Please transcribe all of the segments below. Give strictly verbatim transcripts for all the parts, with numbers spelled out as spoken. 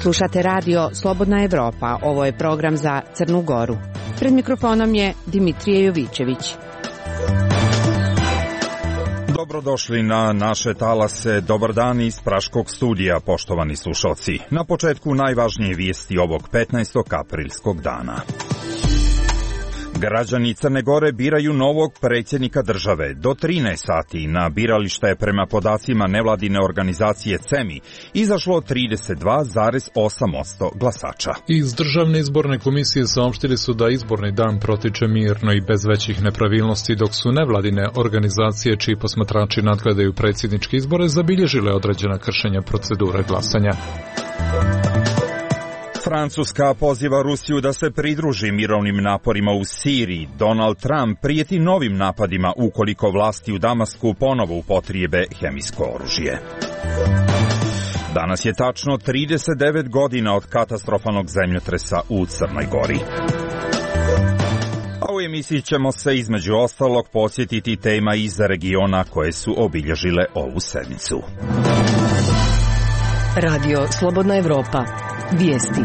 Slušate radio Slobodna Evropa, ovo je program za Crnu Goru. Pred mikrofonom je Dimitrije Jovićević. Dobrodošli na naše talase, dobar dan iz Praškog studija, poštovani slušalci. Na početku najvažnije vijesti ovog petnaestog aprilskog dana. Građani Crne Gore biraju novog predsjednika države. Do trinaest sati na biralište je prema podacima nevladine organizacije C E M I izašlo trideset dva zarez osam posto glasača. Iz Državne izborne komisije saopštili su da izborni dan protiče mirno i bez većih nepravilnosti, dok su nevladine organizacije čiji posmatrači nadgledaju predsjedničke izbore zabilježile određena kršenja procedure glasanja. Francuska poziva Rusiju da se pridruži mirovnim naporima u Siriji. Donald Trump prijeti novim napadima ukoliko vlasti u Damasku ponovo upotrijebe hemijsko oružje. Danas je tačno trideset devet godina od katastrofalnog zemljotresa u Crnoj Gori. A u emisiji ćemo se između ostalog podsjetiti tema iz regiona koje su obilježile ovu sedmicu. Radio Slobodna Evropa. Vijesti.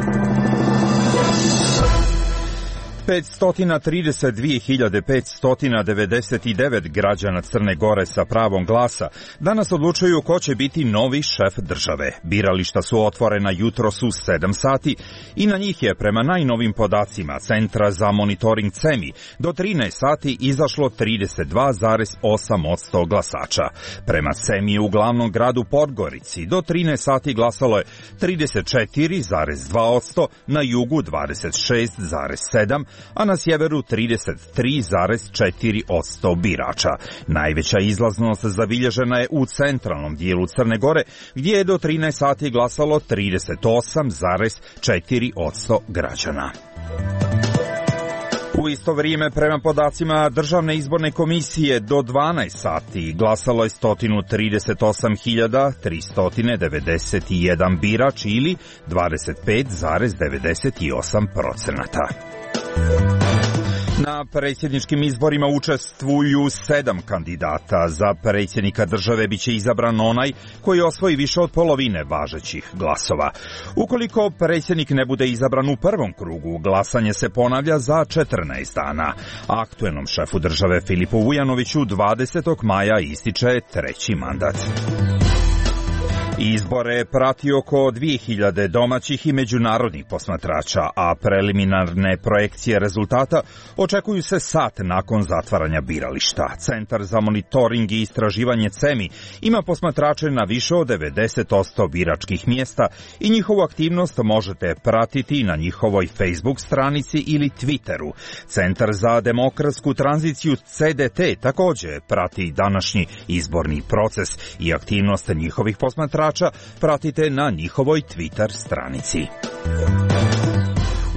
petsto trideset dvije hiljade petsto devedeset devet građana Crne Gore sa pravom glasa danas odlučuju ko će biti novi šef države. Birališta su otvorena jutros u sedam sati i na njih je prema najnovim podacima Centra za monitoring C E M I do trinaest sati izašlo trideset dva zarez osam posto glasača. Prema C E M I u glavnom gradu Podgorici do trinaest sati glasalo je trideset četiri zarez dva posto, na jugu dvadeset šest zarez sedam posto, a na sjeveru trideset tri zarez četiri posto birača. Najveća izlaznost zabilježena je u centralnom dijelu Crne Gore, gdje je do trinaest sati glasalo trideset osam zarez četiri posto građana. U isto vrijeme, prema podacima Državne izborne komisije, do dvanaest sati glasalo je sto trideset osam hiljada tristo devedeset jedan birač ili dvadeset pet zarez devedeset osam procenata. Na predsjedničkim izborima učestvuju sedam kandidata. Za predsjednika države biće izabran onaj koji osvoji više od polovine važećih glasova. Ukoliko predsjednik ne bude izabran u prvom krugu, glasanje se ponavlja za četrnaest dana. Aktuelnom šefu države Filipu Vujanoviću dvadesetog maja ističe treći mandat. Izbore prati oko dvije hiljade domaćih i međunarodnih posmatrača, a preliminarne projekcije rezultata očekuju se sat nakon zatvaranja birališta. Centar za monitoring i istraživanje C E M I ima posmatrače na više od devedeset posto biračkih mjesta i njihovu aktivnost možete pratiti na njihovoj Facebook stranici ili Twitteru. Centar za demokratsku tranziciju C D T također prati današnji izborni proces i aktivnost njihovih posmatrača pratite na njihovoj Twitter stranici.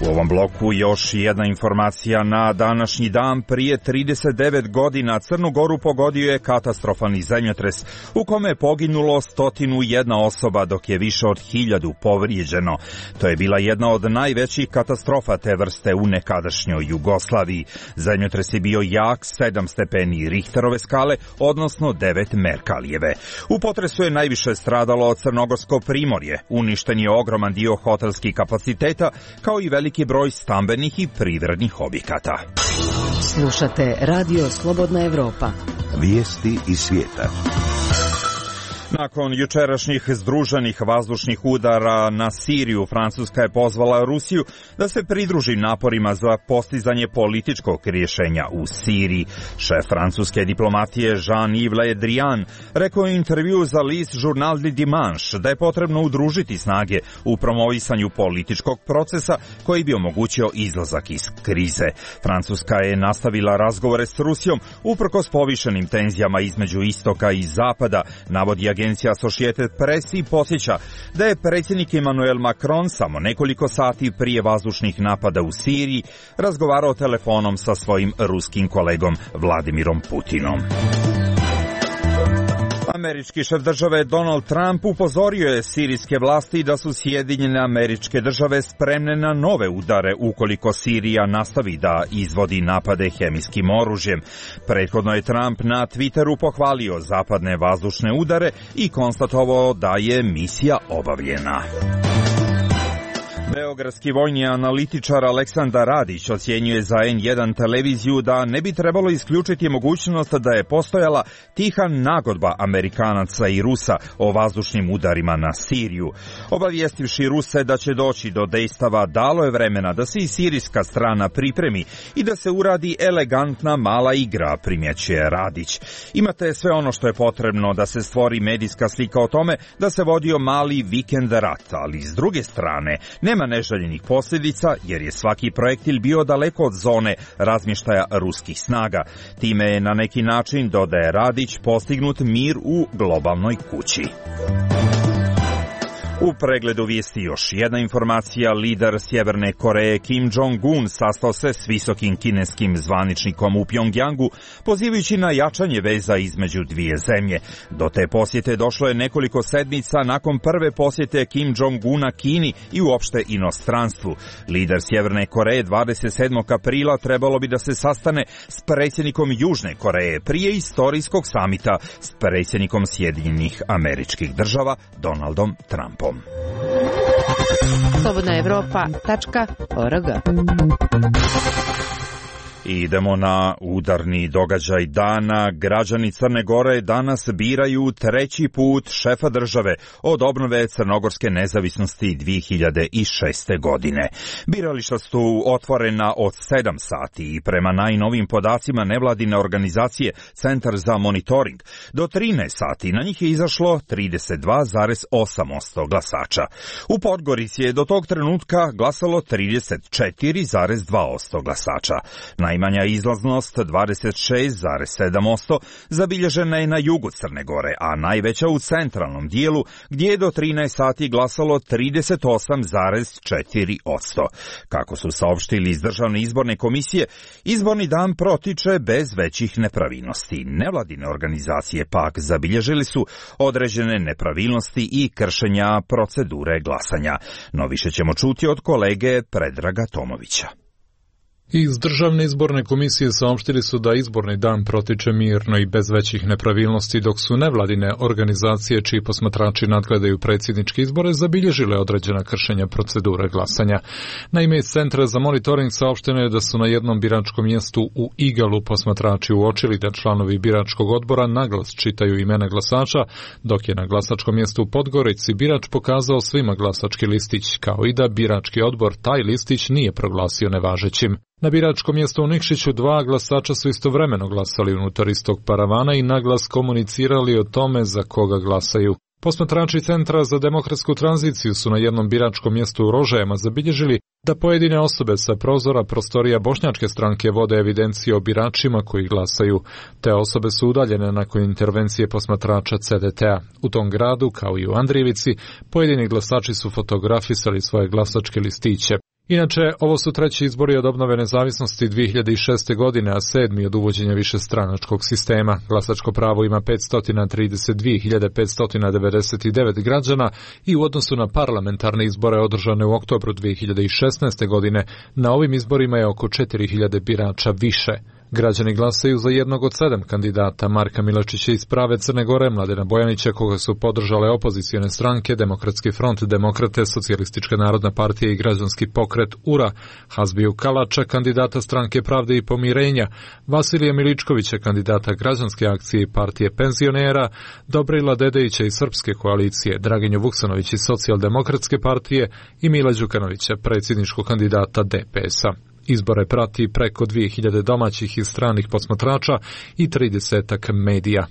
U ovom bloku još jedna informacija. Na današnji dan prije trideset devet godina Crnu Goru pogodio je katastrofalni zemljotres u kome je poginulo sto jedna osoba, dok je više od hiljadu povrijeđeno. To je bila jedna od najvećih katastrofa te vrste u nekadašnjoj Jugoslaviji. Zemljotres je bio jak sedam stepeni Richterove skale, odnosno devet Merkalijeve. U potresu je najviše stradalo Crnogorsko primorje. Uništen je ogroman dio hotelskih kapaciteta, kao i veliki veliki broj stambenih i privrednih objekata. Slušate Radio Slobodna Evropa. Vijesti iz svijeta. Nakon jučerašnjih združenih vazdušnih udara na Siriju, Francuska je pozvala Rusiju da se pridruži naporima za postizanje političkog rješenja u Siriji. Šef francuske diplomatije Jean-Yves Le Drian rekao je u intervju za list Journal du Dimanche da je potrebno udružiti snage u promovisanju političkog procesa koji bi omogućio izlazak iz krize. Francuska je nastavila razgovore s Rusijom uprkos povišenim tenzijama između istoka i zapada, navodi agencija Associated Press i podsjeća da je predsjednik Emmanuel Macron samo nekoliko sati prije vazdušnih napada u Siriji razgovarao telefonom sa svojim ruskim kolegom Vladimirom Putinom. Američki šef države Donald Trump upozorio je sirijske vlasti da su Sjedinjene Američke Države spremne na nove udare ukoliko Sirija nastavi da izvodi napade hemijskim oružjem. Prethodno je Trump na Twitteru pohvalio zapadne vazdušne udare i konstatovao da je misija obavljena. Beogradski vojni analitičar Aleksandar Radić ocjenjuje za en jedan televiziju da ne bi trebalo isključiti mogućnost da je postojala tiha nagodba Amerikanaca i Rusa o vazdušnim udarima na Siriju. Obavijestivši Ruse da će doći do dejstava, dalo je vremena da se i sirijska strana pripremi i da se uradi elegantna mala igra, primjećuje Radić. Imate sve ono što je potrebno da se stvori medijska slika o tome da se vodio mali vikend rat, ali s druge strane nema neželjenih posljedica jer je svaki projektil bio daleko od zone razmještaja ruskih snaga. Time je na neki način, dodaje Radić, postignut mir u globalnoj kući. U pregledu vijesti još jedna informacija. Lider Sjeverne Koreje Kim Jong-un sastao se s visokim kineskim zvaničnikom u Pjongjangu, pozivajući na jačanje veza između dvije zemlje. Do te posjete došlo je nekoliko sedmica nakon prve posjete Kim Jong-una Kini i uopšte inostranstvu. Lider Sjeverne Koreje dvadeset sedmog aprila trebalo bi da se sastane s predsjednikom Južne Koreje prije istorijskog samita s predsjednikom Sjedinjenih Američkih Država Donaldom Trumpom. slobodna evropa tačka org. Idemo na udarni događaj dana. Građani Crne Gore danas biraju treći put šefa države od obnove crnogorske nezavisnosti dvije hiljade šeste. godine. Birališta su otvorena od sedam sati i prema najnovim podacima nevladine organizacije Centar za monitoring. Do trinaest sati na njih je izašlo trideset dva zarez osam posto glasača. U Podgorici je do tog trenutka glasalo trideset četiri zarez dva posto glasača. Najmanja izlaznost dvadeset šest zarez sedam posto zabilježena je na jugu Crne Gore, a najveća u centralnom dijelu gdje je do trinaest sati glasalo trideset osam zarez četiri posto. Kako su saopštili iz Državne izborne komisije, izborni dan protiče bez većih nepravilnosti. Nevladine organizacije pak zabilježili su određene nepravilnosti i kršenja procedure glasanja. No više ćemo čuti od kolege Predraga Tomovića. Iz Državne izborne komisije saopštili su da izborni dan protiče mirno i bez većih nepravilnosti, dok su nevladine organizacije čiji posmatrači nadgledaju predsjedničke izbore zabilježile određena kršenja procedure glasanja. Naime, iz Centra za monitoring saopšteno je da su na jednom biračkom mjestu u Igalu posmatrači uočili da članovi biračkog odbora naglas čitaju imena glasača, dok je na glasačkom mjestu u Podgorici birač pokazao svima glasački listić, kao i da birački odbor taj listić nije proglasio nevažećim. Na biračkom mjestu u Nikšiću dva glasača su istovremeno glasali unutar istog paravana i naglas komunicirali o tome za koga glasaju. Posmatrači Centra za demokratsku tranziciju su na jednom biračkom mjestu u Rožajama zabilježili da pojedine osobe sa prozora prostorija bošnjačke stranke vode evidencije o biračima koji glasaju. Te osobe su udaljene nakon intervencije posmatrača C D T-a. U tom gradu, kao i u Andrijevici, pojedini glasači su fotografisali svoje glasačke listiće. Inače, ovo su treći izbori od obnove nezavisnosti dvije hiljade šeste. godine, a sedmi od uvođenja višestranačkog sistema. Glasačko pravo ima petsto trideset dvije hiljade petsto devedeset devet građana i u odnosu na parlamentarne izbore održane u oktobru dvije hiljade šesnaeste. godine, na ovim izborima je oko četiri hiljade birača više. Građani glasaju za jednog od sedam kandidata, Marka Milačića iz Prave Crne Gore, Mladena Bojanića, koga su podržale opozicione stranke, Demokratski front, Demokrate, Socijalistička narodna partija i Građanski pokret U R A, Hazbiju Kalača, kandidata Stranke pravde i pomirenja, Vasilija Miličkovića, kandidata Građanske akcije i partije penzionera, Dobrila Dedejića iz Srpske koalicije, Draginju Vuksanović iz Socijaldemokratske partije i Mila Đukanovića, predsjedničkog kandidata D P S-a. Izbore prati preko dvije hiljade domaćih i stranih posmatrača i tridesetak medija.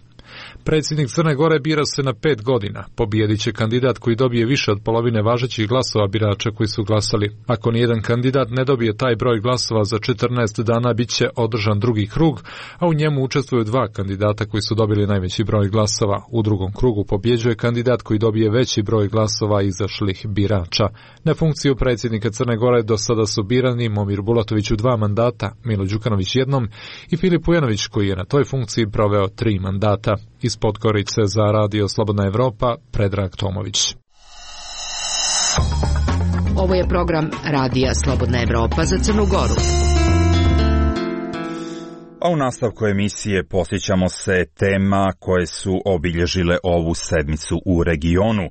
Predsjednik Crne Gore bira se na pet godina. Pobijedit će kandidat koji dobije više od polovine važećih glasova birača koji su glasali. Ako nijedan kandidat ne dobije taj broj glasova za četrnaest dana, bit će održan drugi krug, a u njemu učestvuju dva kandidata koji su dobili najveći broj glasova. U drugom krugu pobjeđuje kandidat koji dobije veći broj glasova izašlih birača. Na funkciju predsjednika Crne Gore do sada su birani Momir Bulatović u dva mandata, Milo Đukanović jednom i Filip Ujanović koji je na toj funkciji proveo tri mandata. Iz Podgorice za Radio Slobodna Evropa, Predrag Tomović. Ovo je program Radija Slobodna Evropa za Crnu Goru. A u nastavku emisije posjećamo se tema koje su obilježile ovu sedmicu u regionu.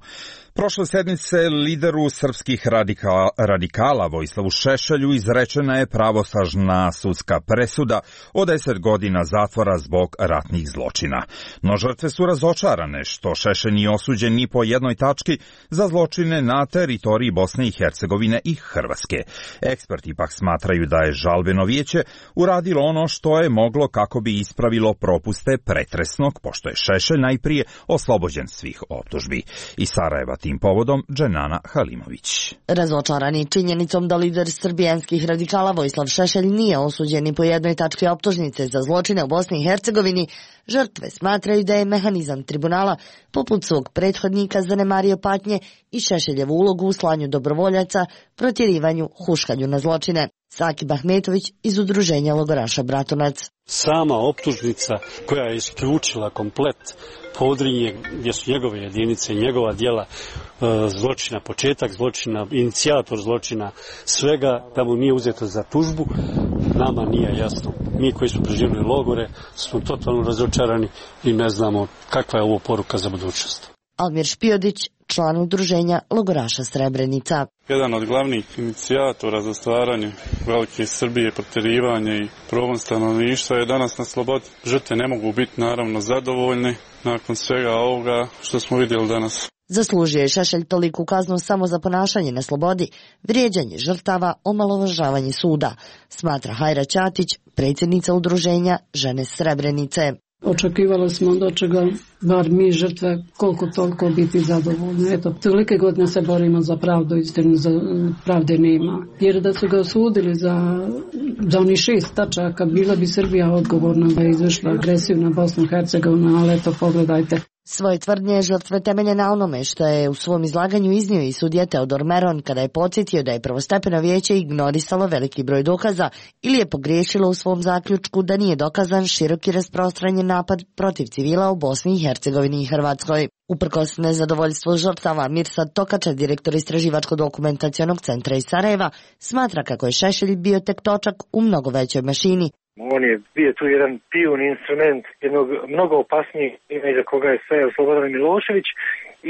Prošle sedmice lideru srpskih radikala, radikala Vojislavu Šešelju izrečena je pravosnažna sudska presuda od deset godina zatvora zbog ratnih zločina. No žrtve su razočarane što Šešelj nije osuđen ni po jednoj tački za zločine na teritoriji Bosne i Hercegovine i Hrvatske. Eksperti pak smatraju da je žalbeno vijeće uradilo ono što je moglo kako bi ispravilo propuste pretresnog, pošto je Šešelj najprije oslobođen svih optužbi. Iz Sarajeva tim povodom Dženana Halimović. Razočarani činjenicom da lider srbijanskih radikala Vojislav Šešelj nije osuđen ni po jednoj tački optužnice za zločine u Bosni i Hercegovini, žrtve smatraju da je mehanizam tribunala poput svog prethodnika zanemario patnje i Šešeljevu ulogu u slanju dobrovoljaca, protjerivanju, huškanju na zločine. Sakib Ahmetović iz udruženja logoraša Bratunac. Sama optužnica koja je isključila komplet Podrinje, gdje su njegove jedinice, njegova djela zločina, početak zločina, inicijator zločina, svega da mu nije uzeto za tužbu, nama nije jasno. Mi koji smo preživjeli logore smo totalno razočarani i ne znamo kakva je ovo poruka za budućnost. Almir Špijodić, član udruženja logoraša Srebrenica. Jedan od glavnih inicijatora za stvaranje velike Srbije, protjerivanje i progon stanovništva je danas na slobodi. Žrtve ne mogu biti naravno zadovoljne nakon svega ovoga što smo vidjeli danas. Zaslužio je Šešelj toliku kaznu samo za ponašanje na slobodi, vrijeđanje žrtava, omalovažavanje suda, smatra Hajra Ćatić, predsjednica udruženja Žene Srebrenice. Očekivali smo da će ga, bar mi žrtve, koliko toliko biti zadovoljni. Eto, tolike godine se borimo za pravdu, istinu, za pravde nema. Jer da su ga osudili za, za oni šest tačaka, bila bi Srbija odgovorna da je izvršila agresiju na Bosnu i Hercegovinu, ali eto, pogledajte. Svoje tvrdnje žrtve temelje na onome što je u svom izlaganju iznio i sudija Teodor Meron kada je podsjetio da je prvostepeno vijeće ignorisalo veliki broj dokaza ili je pogriješilo u svom zaključku da nije dokazan široki rasprostranjen napad protiv civila u Bosni i Hercegovini i Hrvatskoj. Uprkos nezadovoljstvu žrtava, Mirsad Tokača, direktor Istraživačko-dokumentacionog centra iz Sarajeva, smatra kako je Šešelj bio tek točak u mnogo većoj mašini. On je bio tu jedan pijun instrument jednog mnogo opasnijeg iza koga je stajao Slobodan Milošević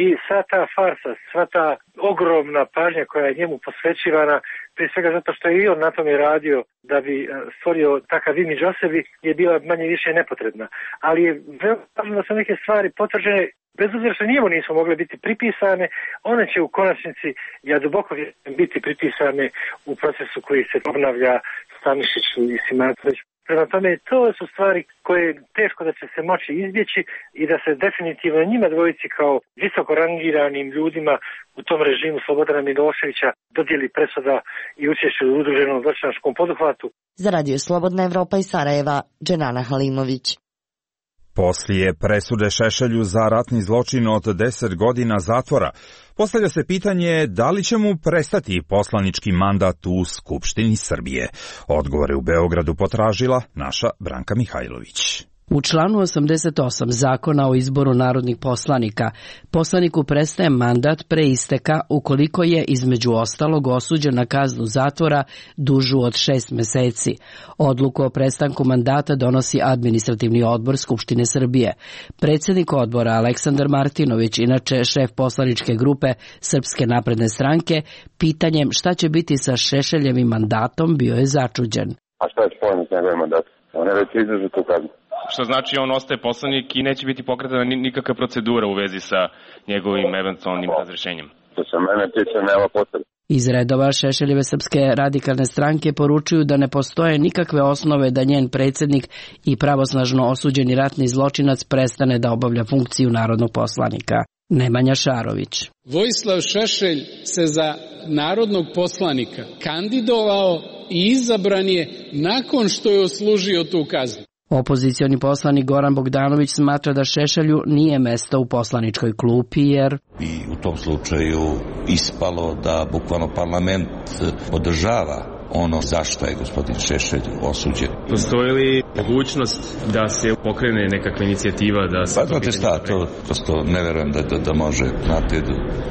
i sva ta farsa, sva ta ogromna pažnja koja je njemu posvećivana, prije svega zato što je i on na tome radio da bi stvorio takav imidž o sebi, je bila manje više nepotrebna. Ali je veoma važno da su neke stvari potvrđene, bez obzira što njemu nisu mogle biti pripisane, one će u konačnici, ja duboko vjerujem, biti pripisane u procesu koji se obnavlja Stanišiću i Simatović. Prema tome, to su stvari koje teško da će se moći izbjeći i da se definitivno njima dvojici kao visoko rangiranim ljudima u tom režimu Slobodana Miloševića dodijeli presuda i učešće u udruženom zločinačkom poduhvatu. Za Radio Slobodna Evropa iz Sarajeva, Dženana Halimović. Poslije presude Šešelju za ratni zločin od deset godina zatvora, postavlja se pitanje da li će mu prestati poslanički mandat u Skupštini Srbije. Odgovore u Beogradu potražila naša Branka Mihajlović. U članu osamdeset osam Zakona o izboru narodnih poslanika, poslaniku prestaje mandat pre isteka ukoliko je između ostalog osuđen na kaznu zatvora dužu od šest meseci. Odluku o prestanku mandata donosi Administrativni odbor Skupštine Srbije. Predsjednik odbora Aleksandar Martinović, inače šef poslaničke grupe Srpske napredne stranke, pitanjem šta će biti sa Šešeljevim mandatom bio je začuđen. A šta je spojeno s njegovim mandatom? On je već izdržao tu kaznu. Što znači on ostaje poslanik i neće biti pokretana nikakva procedura u vezi sa njegovim eventualnim razrešenjem. To se mene tiče, nema potrebe. Iz redova Šešeljeve Srpske radikalne stranke poručuju da ne postoje nikakve osnove da njen predsjednik i pravosnažno osuđeni ratni zločinac prestane da obavlja funkciju narodnog poslanika. Nemanja Šarović. Vojislav Šešelj se za narodnog poslanika kandidovao i izabran je nakon što je odslužio tu kaznu. Opozicioni poslanik Goran Bogdanović smatra da Šešelju nije mesto u poslaničkoj klupi jer i u tom slučaju ispalo da bukvalno parlament podržava ono zašto je gospodin Šešelj osuđen. Postoji li mogućnost da se pokrene nekakva inicijativa da se... Pa znate šta, to prosto ne verujem da, da, da može. Znate,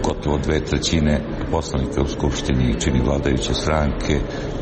gotovo dve trećine poslanika u Skupštini čini vladajuće stranke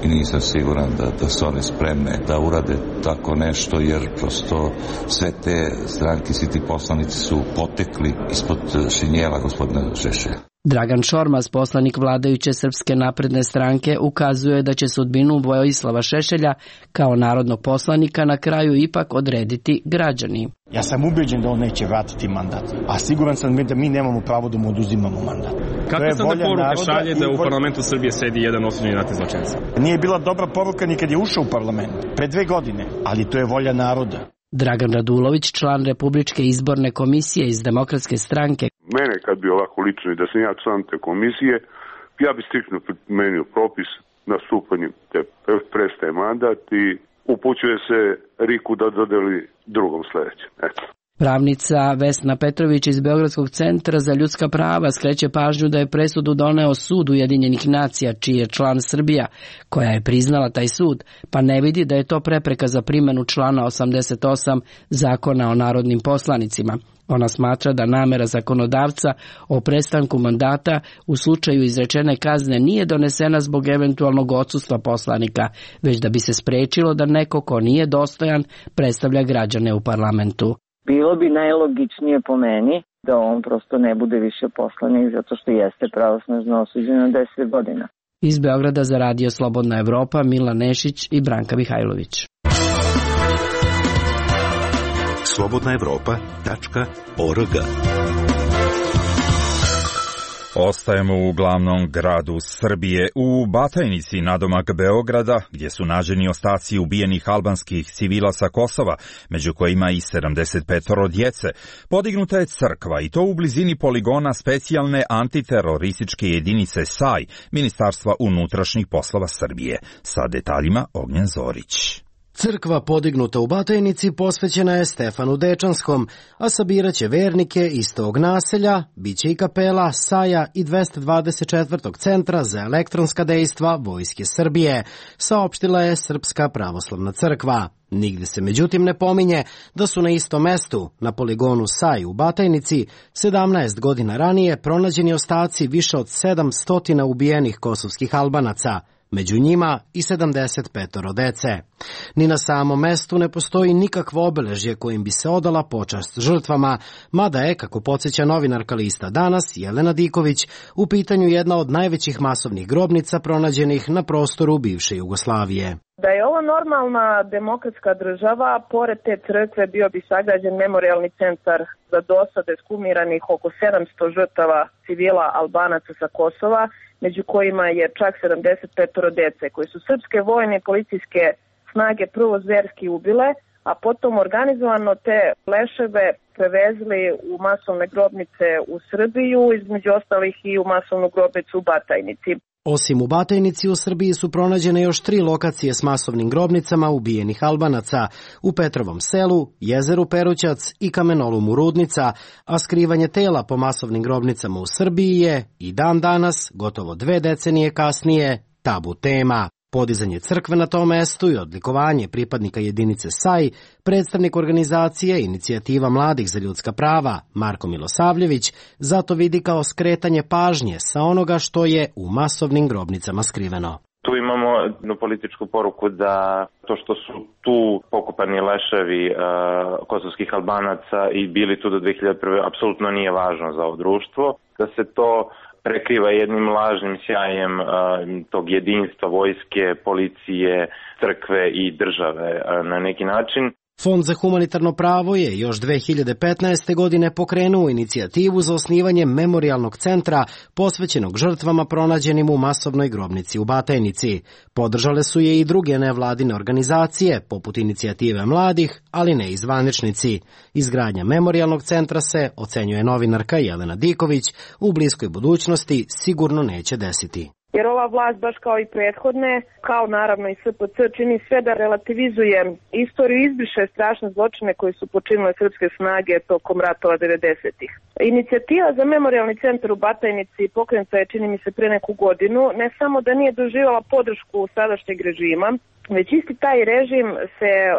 i nisam siguran da, da su one spremne da urade tako nešto, jer prosto sve te stranke, svi ti poslanici su potekli ispod šinjela gospodina Šešelja. Dragan Šormaz, poslanik vladajuće Srpske napredne stranke, ukazuje da će sudbinu Vojislava Šešelja kao narodnog poslanika na kraju ipak odrediti građani. Ja sam ubeđen da on neće vratiti mandat, a siguran sam da mi nemamo pravo da mu oduzimamo mandat. Kakve se onda poruke šalje da u parlamentu Srbije sedi jedan osuđeni ratni zločinac? Nije bila dobra poruka ni kad je ušao u parlament, pre dve godine, ali to je volja naroda. Dragan Radulović, član Republičke izborne komisije iz Demokratske stranke. Mene kad bi ovako lično i da sam ja član te komisije, ja bi striktno primenio propis, nastupanjem te prestaje mandat i upućuje se Riku da dodeli drugom sledećem. Eto. Pravnica Vesna Petrović iz Beogradskog centra za ljudska prava skreće pažnju da je presudu doneo Sud Ujedinjenih nacija, čiji je član Srbija, koja je priznala taj sud, pa ne vidi da je to prepreka za primjenu člana osamdeset osam Zakona o narodnim poslanicima. Ona smatra da namera zakonodavca o prestanku mandata u slučaju izrečene kazne nije donesena zbog eventualnog odsustva poslanika, već da bi se sprečilo da neko ko nije dostojan predstavlja građane u parlamentu. Bilo bi najlogičnije po meni da on prosto ne bude više poslanik zato što jeste pravosnažno osuđen na deset godina. Iz Beograda za Radio Slobodna Evropa, Milan Nešić i Branka Mihajlović. slobodna evropa tačka org. Ostajemo u glavnom gradu Srbije, u Batajnici, nadomak Beograda, gdje su nađeni ostaci ubijenih albanskih civila sa Kosova, među kojima i sedamdeset pet djece. Podignuta je crkva i to u blizini poligona specijalne antiterorističke jedinice S A I, Ministarstva unutrašnjih poslova Srbije. Sa detaljima Ognjen Zorić. Crkva podignuta u Batajnici posvećena je Stefanu Dečanskom, a sabiraće vernike iz tog naselja, biće i kapela Saja i dvesta dvadeset četvrtog centra za elektronska dejstva Vojske Srbije, saopštila je Srpska pravoslavna crkva. Nigde se međutim ne pominje da su na istom mestu, na poligonu Saj u Batajnici, sedamnaest godina ranije pronađeni ostaci više od sedamsto ubijenih kosovskih Albanaca, među njima i sedamdeset pet dece. Ni na samom mestu ne postoji nikakvo obeležje kojim bi se odala počast žrtvama, mada je, kako podsjeća novinarka lista Danas, Jelena Diković, u pitanju jedna od najvećih masovnih grobnica pronađenih na prostoru bivše Jugoslavije. Da je ovo normalna demokratska država, pored te crkve bio bi sagrađen memorijalni centar za dosade skumiranih oko sedamsto žrtava civila Albanaca sa Kosova, među kojima je čak sedamdeset pet dece, koji su srpske vojne i policijske snage prvo zverski ubile, a potom organizovano te leševe prevezli u masovne grobnice u Srbiju, između ostalih i u masovnu grobnicu u Batajnici. Osim u Batajnici, u Srbiji su pronađene još tri lokacije s masovnim grobnicama ubijenih Albanaca, u Petrovom selu, jezeru Perućac i kamenolomu Rudnica, a skrivanje tela po masovnim grobnicama u Srbiji je i dan danas, gotovo dve decenije kasnije, tabu tema. Podizanje crkve na tom mestu i odlikovanje pripadnika jedinice S A I, predstavnik organizacije Inicijativa mladih za ljudska prava, Marko Milosavljević, zato vidi kao skretanje pažnje sa onoga što je u masovnim grobnicama skriveno. Tu imamo jednu političku poruku da to što su tu pokopani leševi uh, kosovskih Albanaca i bili tu do dve hiljade prve. apsolutno nije važno za ovo društvo, da se to prekriva jednim lažnim sjajem uh, tog jedinstva vojske, policije, crkve i države uh, na neki način. Fond za humanitarno pravo je još dve hiljade petnaeste. godine pokrenuo inicijativu za osnivanje memorijalnog centra posvećenog žrtvama pronađenim u masovnoj grobnici u Batajnici. Podržale su je i druge nevladine organizacije, poput Inicijative mladih, ali ne i zvaničnici. Izgradnja memorijalnog centra se, ocenjuje novinarka Jelena Diković, u bliskoj budućnosti sigurno neće desiti. Jer ova vlast, baš kao i prethodne, kao naravno i S P C, čini sve da relativizuje istoriju i izbriše strašne zločine koji su počinile srpske snage tokom ratova devedesetih. Inicijativa za memorijalni centar u Batajnici pokrenuta je, čini mi se, pre neku godinu, ne samo da nije doživala podršku sadašnjeg režima, Već isti taj režim se uh,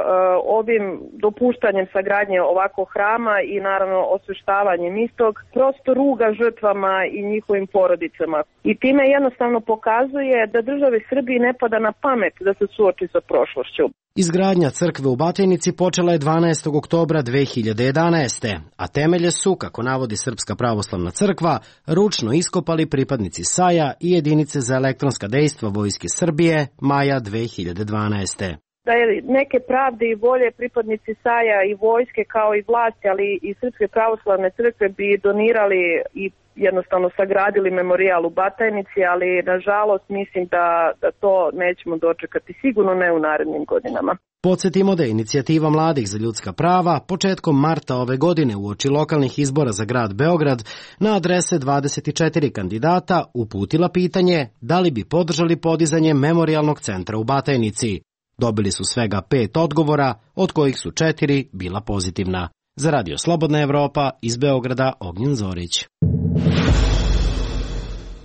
ovim dopuštanjem sagradnje ovakvog hrama i naravno osveštavanjem istog prosto ruga žrtvama i njihovim porodicama. I time jednostavno pokazuje da državi Srbiji ne pada na pamet da se suoči sa prošlošću. Izgradnja crkve u Batajnici počela je dvanaestog oktobra dve hiljade jedanaeste. a temelje su, kako navodi Srpska pravoslavna crkva, ručno iskopali pripadnici S A J-a i jedinice za elektronska dejstva Vojske Srbije maja dve hiljade dvanaeste. Da je neke pravde i volje pripadnici S A J-a i vojske kao i vlasti, ali i Srpske pravoslavne crkve bi donirali i jednostavno sagradili memorijal u Batajnici, ali nažalost mislim da, da to nećemo dočekati, sigurno ne u narednim godinama. Podsjetimo da je inicijativa Mladih za ljudska prava početkom marta ove godine uoči lokalnih izbora za grad Beograd na adrese dvadeset četiri kandidata uputila pitanje da li bi podržali podizanje memorijalnog centra u Batajnici. Dobili su svega pet odgovora, od kojih su četiri bila pozitivna. Za Radio Slobodna Evropa, iz Beograda, Ognjen Zorić.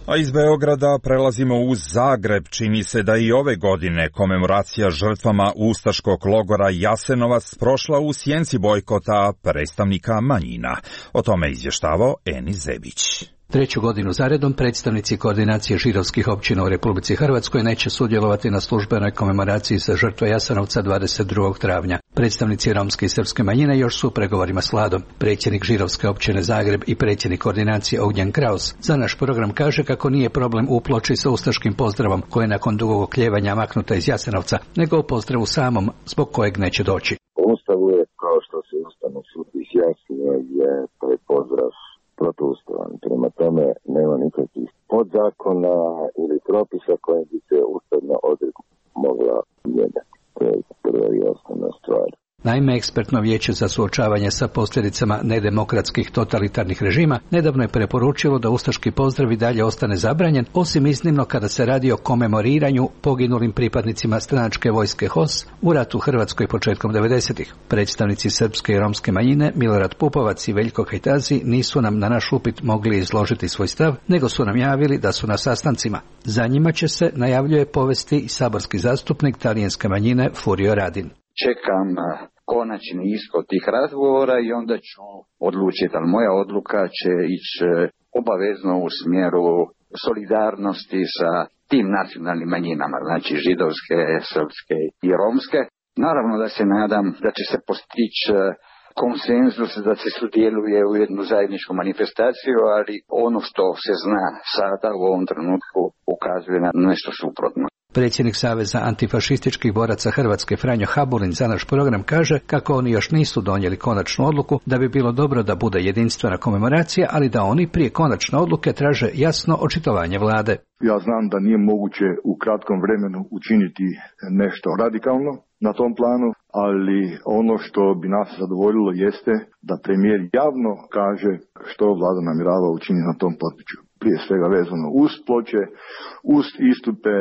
A iz Beograda prelazimo u Zagreb. Čini se da i ove godine komemoracija žrtvama ustaškog logora Jasenovac prošla u sjenci bojkota predstavnika manjina. O tome izvještavao Enis Zebić. Treću godinu zaredom predstavnici koordinacije židovskih općina u Republici Hrvatskoj neće sudjelovati na službenoj komemoraciji za žrtve Jasenovca dvadeset drugog travnja. Predstavnici romske i srpske manjine još su u pregovorima s vladom. Predsjednik židovske općine Zagreb i predsjednik koordinacije Ognjen Kraus za naš program kaže kako nije problem u ploči sa ustaškim pozdravom koji je nakon dugog okljevanja maknuta iz Jasenovca, nego u pozdravu samom zbog kojeg neće doći. U Ustavu je, kao što se Ustavni sud izjasnio, je taj pozdrav protuustavan. Prema tome nema nikakvih podzakona ili propisa koje bi se ustavna odredba mogla mijenjati. To je prva i osnovna stvar. Naime, ekspertno vijeće za suočavanje sa posljedicama nedemokratskih totalitarnih režima nedavno je preporučilo da ustaški pozdrav i dalje ostane zabranjen, osim iznimno kada se radi o komemoriranju poginulim pripadnicima stranačke vojske H O S u ratu u Hrvatskoj početkom devedesetih. Predstavnici srpske i romske manjine Milorad Pupovac i Veljko Kajtazi nisu nam na naš upit mogli izložiti svoj stav, nego su nam javili da su na sastancima. Za njima će se, najavljuje, povesti i saborski zastupnik talijanske manjine Furio Radin. Čekam konačni ishod tih razgovora i onda ću odlučiti, ali moja odluka će ići obavezno u smjeru solidarnosti sa tim nacionalnim manjinama, znači židovske, srpske i romske. Naravno da se nadam da će se postići konsenzus, da se sudjeluje u jednu zajedničku manifestaciju, ali ono što se zna sada u ovom trenutku ukazuje na nešto suprotno. Predsjednik Saveza antifašističkih boraca Hrvatske Franjo Habulin za naš program kaže kako oni još nisu donijeli konačnu odluku, da bi bilo dobro da bude jedinstvena komemoracija, ali da oni prije konačne odluke traže jasno očitovanje vlade. Ja znam da nije moguće u kratkom vremenu učiniti nešto radikalno na tom planu, ali ono što bi nas zadovoljilo jeste da premijer javno kaže što vlada namjerava učiniti na tom području. Prije svega vezano uz ploče, uz istupe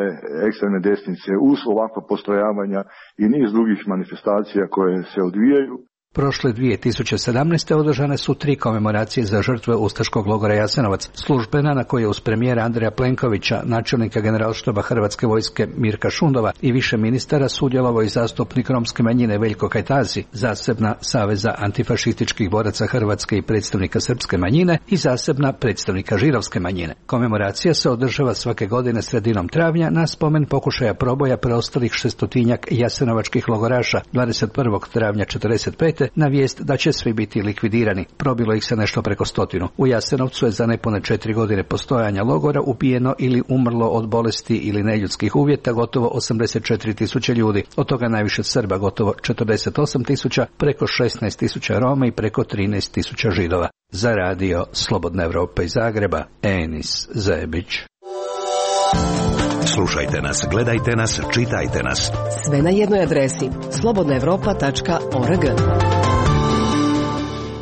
ekstremne desnice, uz ovakva postrojavanja i niz drugih manifestacija koje se odvijaju. Prošle dvije tisuće sedamnaeste. održane su tri komemoracije za žrtve ustaškog logora Jasenovac. Službena na kojoj je uz premijera Andreja Plenkovića, načelnika generalštaba Hrvatske vojske Mirka Šundova i više ministara sudjelovao i zastupnik romske manjine Veljko Kajtazi, zasebna Saveza antifašističkih boraca Hrvatske i predstavnika srpske manjine i zasebna predstavnika židovske manjine. Komemoracija se održava svake godine sredinom travnja na spomen pokušaja proboja preostalih šestotinjak jasenovačkih logoraša dvadeset prvog travnja četrdeset pete na vijest da će svi biti likvidirani. Probilo ih se nešto preko stotinu. U Jasenovcu je za nepune četiri godine postojanja logora ubijeno ili umrlo od bolesti ili neljudskih uvjeta gotovo osamdeset četiri tisuće ljudi. Od toga najviše Srba, gotovo četrdeset osam tisuća, preko šesnaest tisuća Roma i preko trinaest tisuća Židova. Za Radio Slobodna Evropa iz Zagreba, Enis Zebić. Slušajte nas, gledajte nas, čitajte nas. Sve na jednoj adresi slobodna evropa tačka org.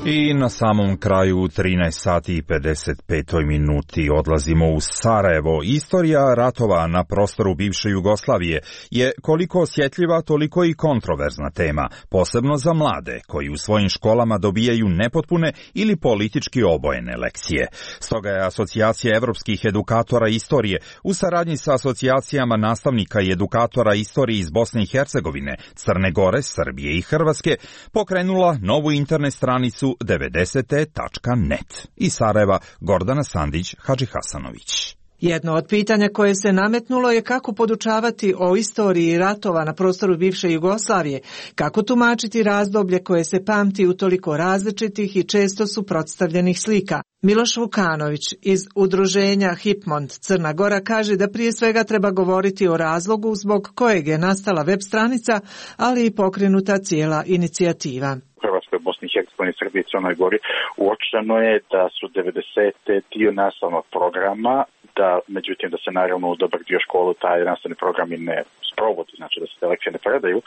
I na samom kraju trinaest sati i pedeset pet minuti odlazimo u Sarajevo. Istorija ratova na prostoru bivše Jugoslavije je koliko osjetljiva, toliko i kontroverzna tema, posebno za mlade koji u svojim školama dobijaju nepotpune ili politički obojene lekcije. Stoga je Asocijacija evropskih edukatora istorije u saradnji sa asocijacijama nastavnika i edukatora istorije iz Bosne i Hercegovine, Crne Gore, Srbije i Hrvatske pokrenula novu internet stranicu devedeset tačka net. Iz Sarajeva Gordana Sandić Hadžihasanović. Jedno od pitanja koje se nametnulo je kako podučavati o istoriji ratova na prostoru bivše Jugoslavije, kako tumačiti razdoblje koje se pamti u toliko različitih i često suprotstavljenih slika. Miloš Vukanović iz udruženja Hipmont Crna Gora kaže da prije svega treba govoriti o razlogu zbog kojeg je nastala web stranica, ali i pokrenuta cijela inicijativa. Hrvatskoj, Bosni i Hercegovini, Srbiji i Crnoj Gori uočeno je da su devedesete dio nastavnog programa, da međutim da se naravno u dobar dio školu taj nastavni programi ne sprovodi, znači da se te lekcije ne predaju,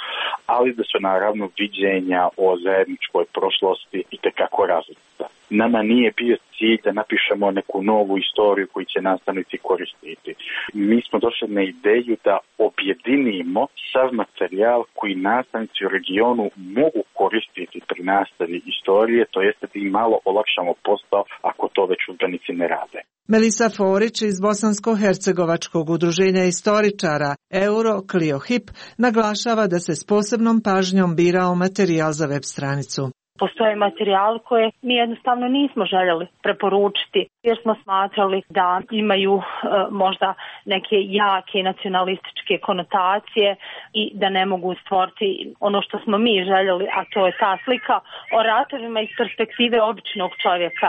ali da su naravno viđenja o zajedničkoj prošlosti itekako različita. Nama nije bio cilj da napišemo neku novu istoriju koju će nastavnici koristiti. Mi smo došli na ideju da objedinimo sav materijal koji nastavnici u regionu mogu koristiti pri nastavi istorije, to jeste da im malo olakšamo posao ako to već udžbenici ne rade. Melisa Forić iz Bosansko-hercegovačkog udruženja istoričara Euro Clio Hip naglašava da se s posebnom pažnjom birao materijal za web stranicu. Postoje materijal koje mi jednostavno nismo željeli preporučiti jer smo smatrali da imaju e, možda neke jake nacionalističke konotacije i da ne mogu stvoriti ono što smo mi željeli, a to je ta slika o ratovima iz perspektive običnog čovjeka,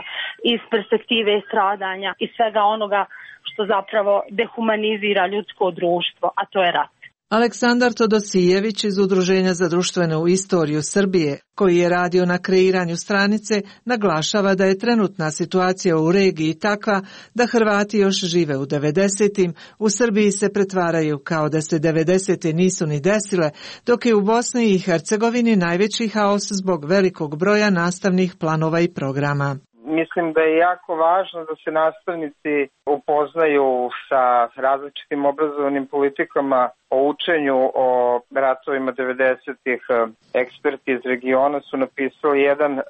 iz perspektive stradanja i svega onoga što zapravo dehumanizira ljudsko društvo, a to je rat. Aleksandar Todosijević iz Udruženja za društvenu istoriju Srbije, koji je radio na kreiranju stranice, naglašava da je trenutna situacija u regiji takva da Hrvati još žive u devedesetim, u Srbiji se pretvaraju kao da se devedesete nisu ni desile, dok je u Bosni i Hercegovini najveći haos zbog velikog broja nastavnih planova i programa. Mislim da je jako važno da se nastavnici upoznaju sa različitim obrazovnim politikama o učenju o ratovima devedesetih. Eksperti iz regiona su napisali jedan uh,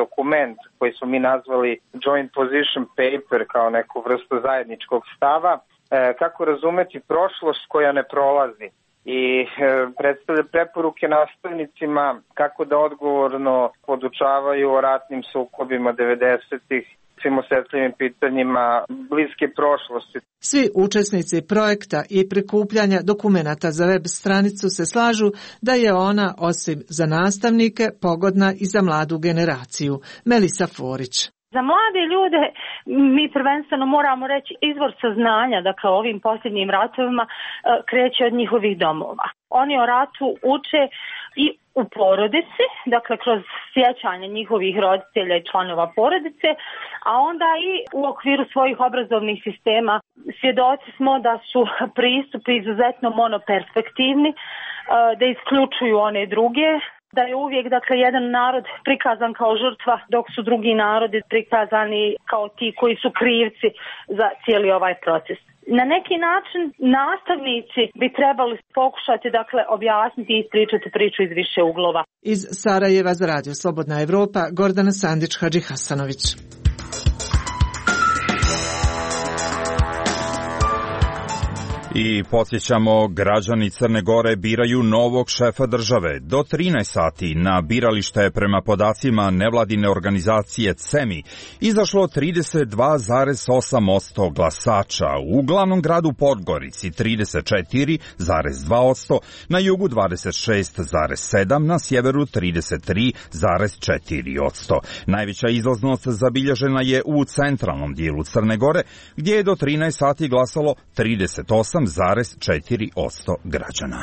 dokument koji smo mi nazvali Joint Position Paper kao neku vrstu zajedničkog stava, uh, kako razumeti prošlost koja ne prolazi. I e, predstavlja preporuke nastavnicima kako da odgovorno podučavaju o ratnim sukobima devedesetih, svim osjetljivim pitanjima bliske prošlosti. Svi učesnici projekta i prikupljanja dokumenata za web stranicu se slažu da je ona, osim za nastavnike, pogodna i za mladu generaciju. Melisa Forić. Za mlade ljude mi prvenstveno moramo reći izvor saznanja, dakle o ovim posljednjim ratovima kreće od njihovih domova. Oni o ratu uče i u porodici, dakle kroz sjećanje njihovih roditelja i članova porodice, a onda i u okviru svojih obrazovnih sistema. Svjedoci smo da su pristupi izuzetno monoperspektivni, da isključuju one druge, da je uvijek dakle jedan narod prikazan kao žrtva, dok su drugi narodi prikazani kao ti koji su krivci za cijeli ovaj proces. Na neki način nastavnici bi trebali pokušati dakle objasniti i ispričati priču iz više uglova. Iz Sarajeva za Radio Slobodna Evropa, Gordana Sandić Hadžihasanović. I podsjećamo, građani Crne Gore biraju novog šefa države. Do trinaest sati na biralište je prema podacima nevladine organizacije CEMI izašlo trideset dva zarez osam posto glasača, u glavnom gradu Podgorici trideset četiri zarez dva posto, na jugu dvadeset šest zarez sedam posto, na sjeveru trideset tri zarez četiri posto. Najveća izlaznost zabilježena je u centralnom dijelu Crne Gore, gdje je do trinaest sati glasalo trideset osam zarez četiri posto građana.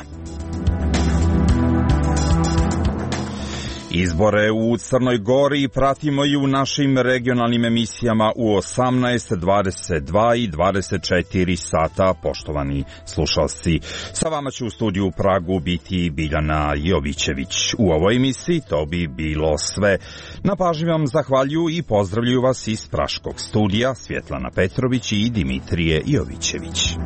Izbore u Crnoj Gori pratimo i u našim regionalnim emisijama u osamnaest, dvadeset dva i dvadeset četiri sata, poštovani slušalci. Sa vama će u studiju u Pragu biti Biljana Jovićević. U ovoj emisiji to bi bilo sve. Na pažnji vam zahvaljuju i pozdravljuju vas iz praškog studija Svjetlana Petrović i Dimitrije Jovićević.